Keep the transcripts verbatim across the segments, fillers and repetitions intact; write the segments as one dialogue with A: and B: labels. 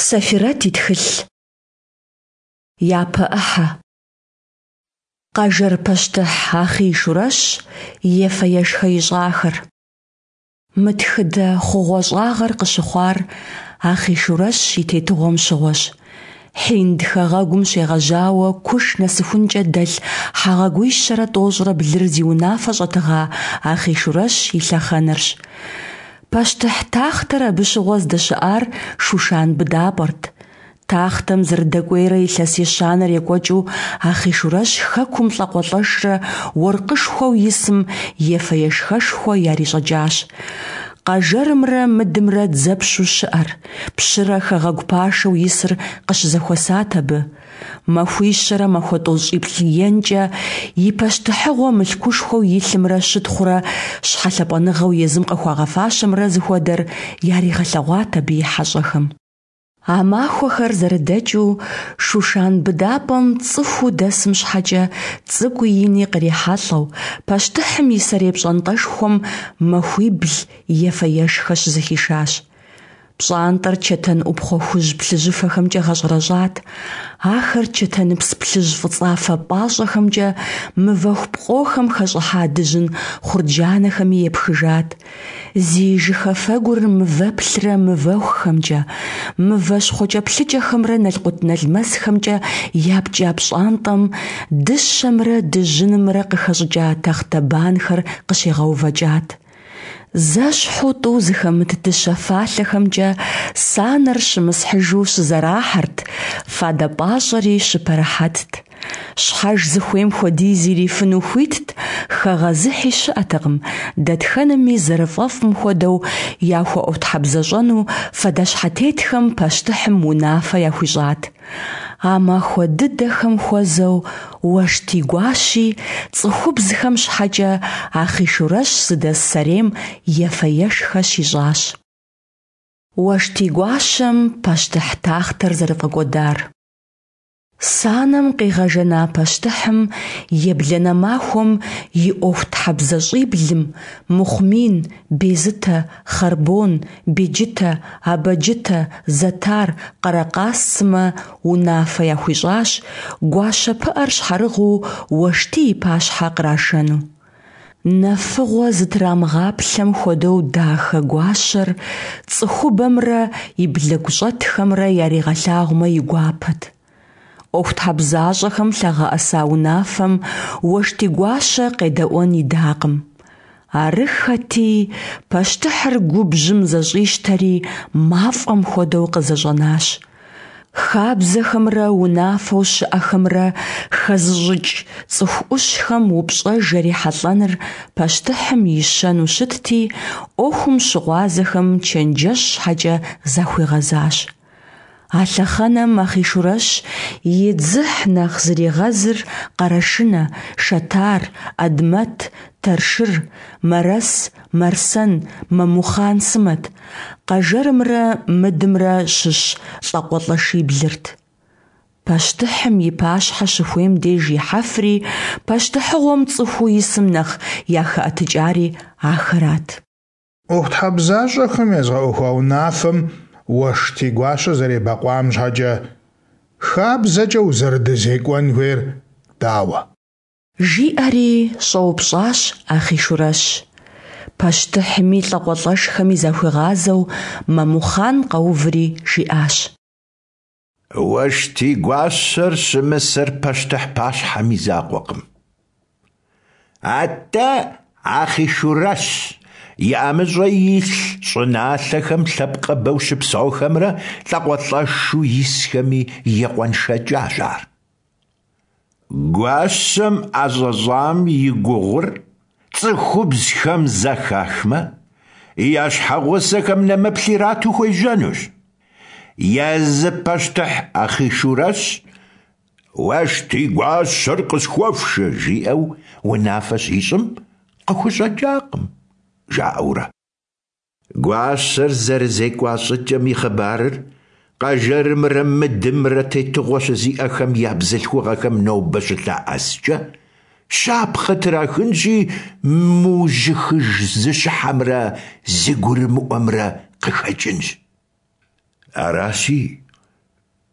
A: Сэфирэт и тхылъ. Япэ ӏыхьэ. Къэжэр пащтыхь Ахъийшурэщ ефэ-ешхэ ищӏахэр. Мы тхыдэ хъугъуэщӏагъэр къыщыхъуар Ахъийшурэщ и тетыгъуэм щыгъуэщ. Хьинд хэгъэгум щегъэжьауэ Куш нэсыхункӏэ дэлъ хэгъэгуищэрэ тӏощӏрэ блыр зи унафэ щӏэтыгъа Ахъийшурэщ и лъэхъэнэрщ. Пащтыхь тахътэр абы щыгъуэ здэщыӏар Шушан быдапӏэрт. Тахътэм зэрыдэкӏуейрэ илъэс ещанэр екӏуэкӏыу Ахъийшурэщ хэкум лӏакъуэлӏэшрэ уэркъышхуэу исым ефэ-ешхэшхуэ ярищӏэкӏащ. Къэжэрымрэ Мыдымрэ дзэпщу щыӏэр, пщырэ хэгъэгу пашэу исыр къыщызэхуэсат абы. Махуищэрэ махуэ тӏощӏиплӏ енкӏэ и пащтыхьыгъуэ мылъкушхуэу илъымрэ щытхъурэ щхьэлъапӏэныгъэу езым къыхуагъэфащэмрэ зыхуэдэр яригъэлъэгъуат абы и хьэщӏэхэм. А махуэхэр зэрыдэкӏыу Шушан быдапӏэм цӏыхуу дэсым щхьэкӏэ цӏыкӏуи ини кърихьэлӏэу, пащтыхьым и сэрей пщӏантӏэшхуэм махуибл ефэ-ешхэ щызэхишащ. Пщӏантӏэр чэтэн ӏупхъуэ хужь плъыжьыфэхэмкӏэ гъэщӏэрэщӏат. Ахэр чэтэныпс плъыжь-фӏыцӏафэ пӏащӏэхэмкӏэ мывэху пкъохэм хэщӏыхьа дыжьын хъурджанэхэми епхыжат. Зи жыхэфэгур мывэплърэ мывэхухэмкӏэ, мывэ щхъуэкӏэплъыкӏэхэмрэ налкъутналмэсхэмкӏэ япкӏа пщӏантӏэм дыщэмрэ дыжьынымрэ къыхэщӏыкӏа тахътэбанхэр къыщегъэувэкӏат. Зэщхьу тӏу зыхэмыт дыщэ фалъэхэмкӏэ санэр щымысхьыжу щызэрахьэрт, фадэ пӏащӏэри щыпэрыхьэтт. Щхьэж зыхуейм хуэдиз ирифыну хуитт, хэгъэзыхьи щыӏэтэкъым, дэтхэнэми зэрыфӏэфӏым хуэдэу яхуэӏуэхутхьэбзэщӏэну фадэщхьэтетхэм пащтыхьым унафэ яхуищӏат. А махуэ дыдэхэм хуэзэу Уэштий гуащи цӏыхубзхэм щхьэкӏэ Ахъийшурэщ зыдэс сэрейм ефэ-ешхэ щищӏащ. Уэштий гуащэм пащтыхь тахътэр зэрыфӏэкӏуэдар. Санэм къигъэжэна пащтыхьым ебланэ махуэм и ӏуэхутхьэбзащӏиблым – Мыхъумин, Безытэ, Хъарбон, Беджытэ, Абэджытэ, Зэтар, Къэрэкъас сымэ унафэ яхуищӏащ гуащэ пыӏэр щхьэрыгъыу Уэштий и пащхьэ кърашэну. Нэфыгъуэ зытрамыгъаплъэм хуэдэу дахэ гуащэр цӏыхубэмрэ и блыгущӏэтхэмрэ яригъэлъагъумэ и гуапэт. ӏуэхутхьэбзащӏэхэм лъагъэӏэса унафэм Уэштий гуащэ къедэӏуэн идакъым. Арыххэти, пащтыхьыр губжьым зэщӏищтэри, мафӏэм хуэдэу къызэщӏэнащ. Хабзэхэмрэ унафэу щыӏэхэмрэ хэзыщӏыкӏ цӏыху ӏущхэм упщӏэж ярихьэлӏэныр пащтыхьым и щэну щытти, ӏуэхум щыгъуазэхэм чэнджэщ щхьэкӏэ захуигъэзащ. А лъэхъэнэм Ахъийшурэщ и дзыхь нэхъ зригъэзыр Къэрэшынэ, Шэтар, Адмэт, Тэршыр, Мэрэс, Мэрсэн, Мэмухъан сымэт, Къэжэрымрэ Мыдымрэ щыщ лӏакъуэлӏэшиблырт. Пащтыхьым и пащхьэ щыхуейм деж ихьэфри, пащтыхьыгъуэм цӏыхуу исым нэхъ яхэӏэтыкӏари ахэрат.
B: ӏуэхутхьэбзащӏэхэм езгъэӏуэхуа унафэм Уэштий гуащэ зэребэкъуам щхьэкӏэ, хабзэкӏэ узэрыдэзекӏуэн хуейр дауэ?
A: Жиӏэри щӏэупщӏащ Ахъийшурэщ. Пащтыхьми лӏакъуэлӏэшхэми захуигъазэу Мэмухъан къэуври жиӏащ.
C: Уэштий гуащэр щымысэр пащтыхь пащхьэм и закъуэкъым. Атӏэ Ахъийшурэщ и ӏэмыщӏэ илъ щӏыналъэхэм лъэпкъыбэу щыпсэухэмрэ лӏакъуэлӏэшу исхэми екъуэншэкӏащ ар. Гуащэм ӏэщӏэщӏам и гугъур цӏыхубзхэм зэхахмэ, я щхьэгъусэхэм нэмыплъ ирату хуежьэнущ. Езы пащтыхь Ахъийшурэщ «Уэштий гуащэр къысхуэфшэ» жиӏэу унафэ щищӏым къыхущӏэкӏакъым, жаӏэурэ. Гуащэр зэрызекӏуа щӏыкӏэм и хъыбарыр Къэжэрымрэ Мыдымрэ тетыгъуэ щызиӏэхэм я бзылъхугъэхэм нобэ щылъэӏэскӏэ, щапхъэ трахынщи, мыужьыхыж зыщыхьэмрэ зыгурымыӏуэмрэ къыхэкӏынщ. Аращи,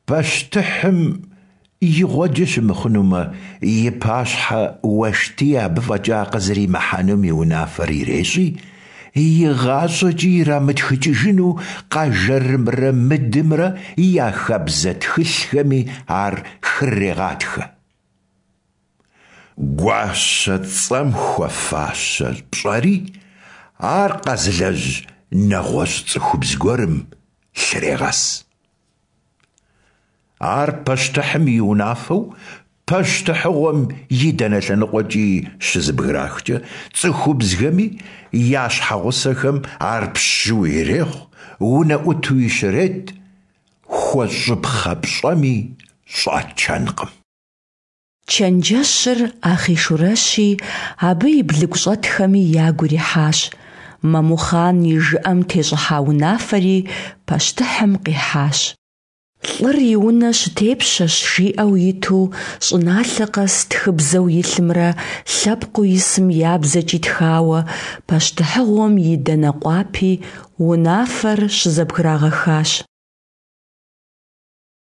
C: Пащтыхьым игъуэджэ щымыхъунумэ, и пащхьэ Уэштий абы фӀэкӀа къызэримыхьэнум и унафэр ирещӀи, игъащӀэкӀи ирамытхыкӀыжыну Къэжэрымрэ Мыдымрэ я хабзэ тхылъхэми ар хрырегъатхэ. Гуащэ цӀэм хуэфащэ пщӀэри ар къэзылэжь нэгъуэщӀ цӀыхубз гуэрым лърегъэс. Ар пащтыхьым и унафэу пащтыхьыгъуэм и дэнэ лъэныкъуэкӀи щызэбграхкӀэ, цӀыхубзхэми я щхьэгъусэхэм ар пщыуи ирехъу, унэӀутуи щрет, хуэщӀыпхъэ пщӀэми щӀачэнкъым.
A: Чэнджэщыр Ахъийшурэщи абы и блыгущӀэтхэми ягу ирихьащ, Мэмухъан и жыӀэм тещӀыхьа унафэри пащтыхьым къихьащ. «ЛӀыр и унэ щытепщэщ» жиӀэу иту щӀыналъэ къэс тхыбзэу илъымрэ лъэпкъыу исым я бзэкӀи тхауэ, пащтыхьыгъуэм и дэнэ къуапи унафэр щызэбграгъэхащ.